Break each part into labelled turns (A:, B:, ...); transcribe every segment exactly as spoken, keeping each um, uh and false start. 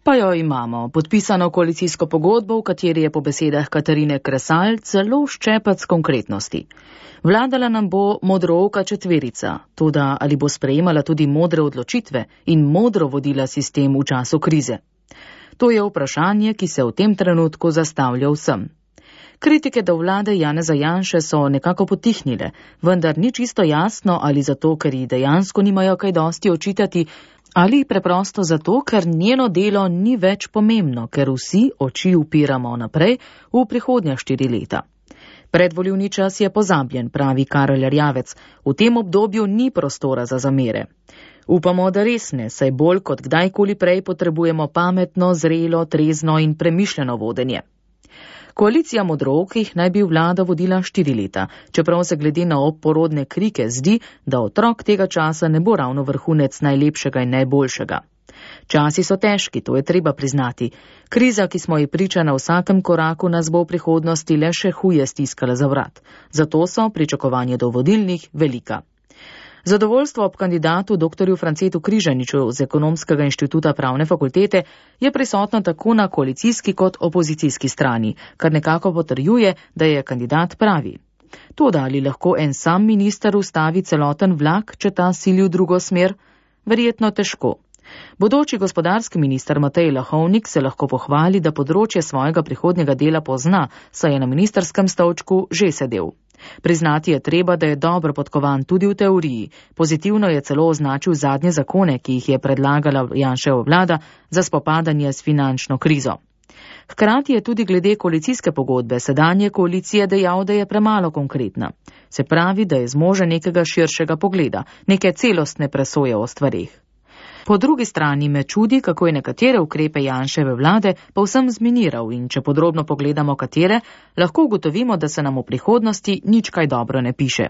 A: Pa jo imamo, podpisano koalicijsko pogodbo, v kateri je po besedah Katarine Kresal celo ščepac konkretnosti. Vladala nam bo modrooka četverica, toda ali bo sprejemala tudi modre odločitve in modro vodila sistem v času krize? To je vprašanje, ki se v tem trenutku zastavlja vsem. Kritike do vlade Janeza Janše so nekako potihnile, vendar ni čisto jasno, ali zato, ker ji dejansko nimajo kaj dosti očitati, ali preprosto zato, ker njeno delo ni več pomembno, ker vsi oči upiramo naprej v prihodnja štiri leta. Predvolilni čas je pozabljen, pravi Karel Erjavec, v tem obdobju ni prostora za zamere. Upamo, da res ne, saj bolj kot kdajkoli prej potrebujemo pametno, zrelo, trezno in premišljeno vodenje. Koalicija modrookih naj bi vlado vodila štiri leta, čeprav se glede na oporodne krike zdi, da otrok tega časa ne bo ravno vrhunec najlepšega in najboljšega. Časi so težki, to je treba priznati. Kriza, ki smo ji priča na vsakem koraku, nas bo v prihodnosti le še huje stiskala za vrat. Zato so pričakovanje do vodilnih velika. Zadovoljstvo ob kandidatu doktorju Francetu Križaniču z Ekonomskega inštituta Pravne fakultete je prisotno tako na koalicijski kot opozicijski strani, kar nekako potrjuje, da je kandidat pravi. Toda ali lahko en sam minister ustavi celoten vlak, če ta sili v drugo smer? Verjetno težko. Bodoči gospodarski minister Matej Lahovnik se lahko pohvali, da področje svojega prihodnjega dela pozna, saj je na ministrskem stolčku že sedel. Priznati je treba, da je dobro podkovan tudi v teoriji. Pozitivno je celo označil zadnje zakone, ki jih je predlagala Janševa vlada za spopadanje s finančno krizo. Hkrati je tudi glede koalicijske pogodbe sedanje koalicije dejal, da je premalo konkretna. Se pravi, da je zmožen nekega širšega pogleda, neke celostne presoje o stvareh. Po drugi strani me čudi, kako je nekatere ukrepe Janševe vlade povsem zminiral in če podrobno pogledamo katere, lahko ugotovimo, da se nam v prihodnosti nič kaj dobro ne piše.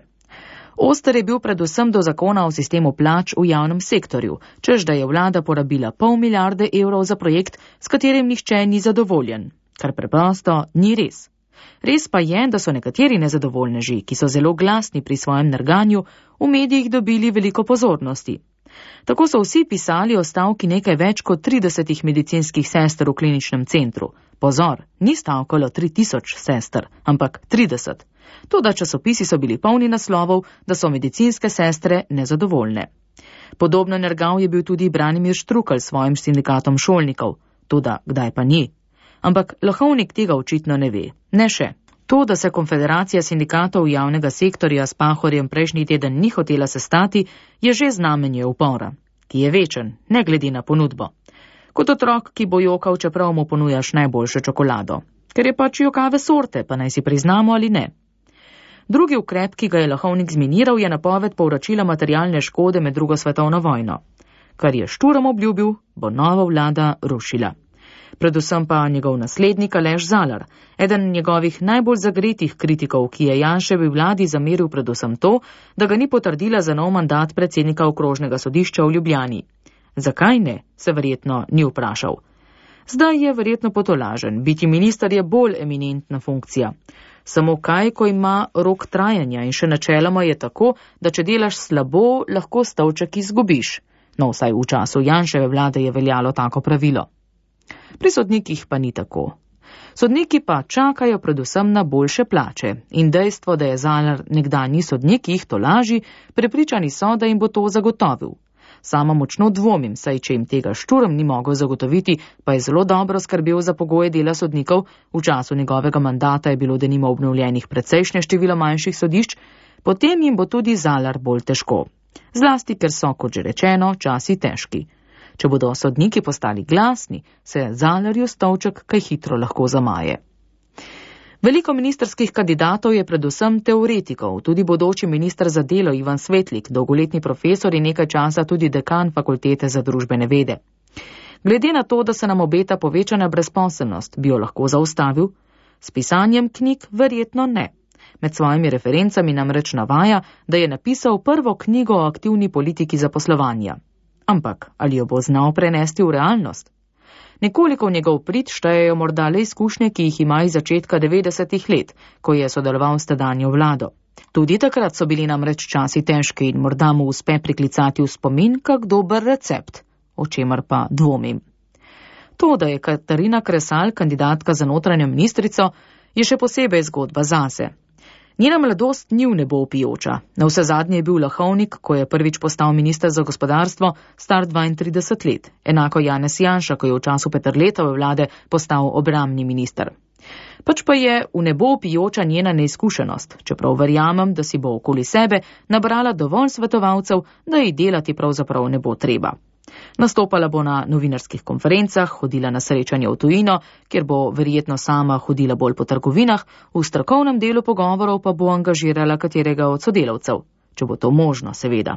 A: Oster je bil predvsem do zakona o sistemu plač v javnem sektorju, čež da je vlada porabila pol milijarde evrov za projekt, s katerim nihče ni zadovoljen, kar preprosto ni res. Res pa je, da so nekateri nezadovoljneži, ki so zelo glasni pri svojem nerganju, v medijih dobili veliko pozornosti. Tako so vsi pisali o stavki nekaj več kot tridesetih medicinskih sester v kliničnem centru. Pozor, ni stavkalo tri tisoč sester, ampak trideset. Toda časopisi so bili polni naslovov, da so medicinske sestre nezadovoljne. Podobno nergal je bil tudi Branimir Štrukelj s svojim sindikatom šolnikov. Toda kdaj pa ni? Ampak Lahovnik tega očitno ne ve. Ne še. To, da se Konfederacija sindikatov javnega sektorja s Pahorjem prejšnji teden ni hotela sestati, je že znamenje upora, ki je večen, ne glede na ponudbo. Kot otrok, ki bo jokal, čeprav mu ponujaš najboljšo čokolado. Ker je pač jokave sorte, pa naj si priznamo ali ne. Drugi ukrep, ki ga je Lahovnik zminiral, je napoved povračila materialne škode med drugo svetovno vojno. Kar je Šturom obljubil, bo nova vlada rušila. Predvsem pa njegov naslednik Aleš Zalar, eden njegovih najbolj zagretih kritikov, ki je Janševi vladi zameril predvsem to, da ga ni potrdila za nov mandat predsednika okrožnega sodišča v Ljubljani. Zakaj ne, se verjetno ni vprašal. Zdaj je verjetno potolažen, biti minister je bolj eminentna funkcija. Samo kaj, ko ima rok trajanja in še načeloma je tako, da če delaš slabo, lahko stolček izgubiš. No, vsaj v času Janševe vlade je veljalo tako pravilo. Pri sodnikih pa ni tako. Sodniki pa čakajo predvsem na boljše plače in dejstvo, da je Zalar nekdanji sodnik, jih tolaži, prepričani so, da jim bo to zagotovil. Sama močno dvomim, saj če jim tega Šturm ni mogel zagotoviti, pa je zelo dobro skrbel za pogoje dela sodnikov, v času njegovega mandata je bilo denimo obnovljenih precejšnje število manjših sodišč, potem jim bo tudi Zalar bolj težko. Zlasti, ker so, kot že rečeno, časi težki. Če bodo sodniki postali glasni, se Zalarju stolček kaj hitro lahko zamaje. Veliko ministrskih kandidatov je predvsem teoretikov, tudi bodoči minister za delo Ivan Svetlik, dolgoletni profesor in nekaj časa tudi dekan fakultete za družbene vede. Glede na to, da se nam obeta povečana brezposelnost, bi jo lahko zaustavil? S pisanjem knjig verjetno ne. Med svojimi referencami namreč navaja, da je napisal prvo knjigo o aktivni politiki zaposlovanja. Ampak ali jo bo znal prenesti v realnost? Nekoliko v njegov prid štejejo morda le izkušnje, ki jih ima iz začetka devetdesetih let, ko je sodeloval s tedanjo vlado. Tudi takrat so bili namreč časi težki in morda mu uspe priklicati v spomin kak dober recept, o čemer pa dvomim. To, da je Katarina Kresal kandidatka za notranjo ministrico, je še posebej zgodba zase. Njena mladost ni v nebo vpijoča. Na vse zadnje je bil Lahovnik, ko je prvič postal minister za gospodarstvo, star dvaintrideset let. Enako Janez Janša, ko je v času Peterletove vlade postal obrambni minister. Pač pa je v nebo vpijoča njena neizkušenost, čeprav verjamem, da si bo okoli sebe nabrala dovolj svetovalcev, da ji delati pravzaprav ne bo treba. Nastopala bo na novinarskih konferencah, hodila na srečanje v tujino, kjer bo verjetno sama hodila bolj po trgovinah, v strokovnem delu pogovorov pa bo angažirala katerega od sodelavcev, če bo to možno, seveda.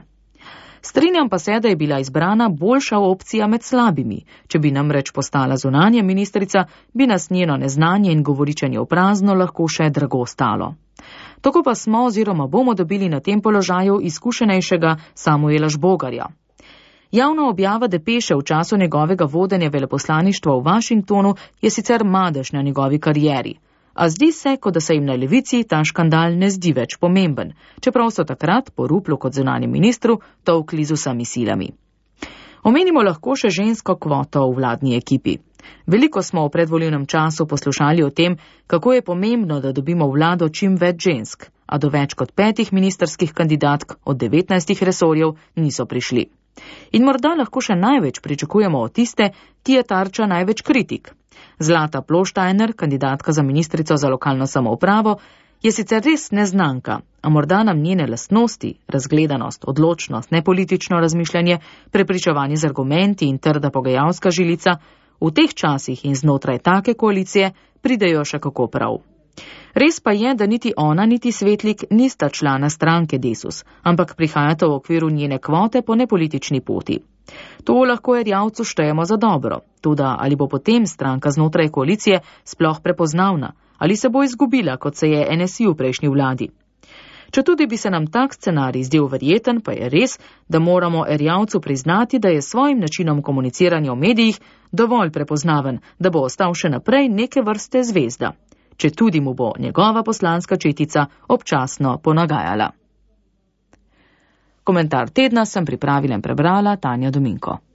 A: Strinjam pa se, da je bila izbrana boljša opcija med slabimi. Če bi namreč postala zunanja ministrica, bi nas njeno neznanje in govoričenje v prazno lahko še drago stalo. Tako pa smo oziroma bomo dobili na tem položaju izkušenejšega Samuela Žbogarja. Javna objava depeše v času njegovega vodenja veleposlaništva v Washingtonu je sicer madež na njegovi karieri, a zdi se, kot da se jim na levici ta škandal ne zdi več pomemben, čeprav so takrat po Ruplu kot zunanjem ministru tolkli z vsemi silami. Omenimo lahko še žensko kvoto v vladni ekipi. Veliko smo v predvolilnem času poslušali o tem, kako je pomembno, da dobimo v vlado čim več žensk, a do več kot petih ministerskih kandidatk od devetnajstih resorjev niso prišli. In morda lahko še največ pričakujemo od tiste, ki je tarča največ kritik. Zlata Ploštajner, kandidatka za ministrico za lokalno samoupravo, je sicer res neznanka, a morda nam njene lastnosti, razgledanost, odločnost, nepolitično razmišljanje, prepričevanje z argumenti in trda pogajalska žilica v teh časih in znotraj take koalicije pridejo še kako prav. Res pa je, da niti ona, niti Svetlik nista člana stranke Desus, ampak prihajata v okviru njene kvote po nepolitični poti. To lahko Erjavcu štejemo za dobro, tudi ali bo potem stranka znotraj koalicije sploh prepoznavna, ali se bo izgubila, kot se je N S I v prejšnji vladi. Četudi bi se nam tak scenarij zdel verjeten, pa je res, da moramo Erjavcu priznati, da je s svojim načinom komuniciranja v medijih dovolj prepoznaven, da bo ostal še naprej neke vrste zvezda, če tudi mu bo njegova poslanska četica občasno ponagajala. Komentar tedna sem pripravila in prebrala Tanja Dominko.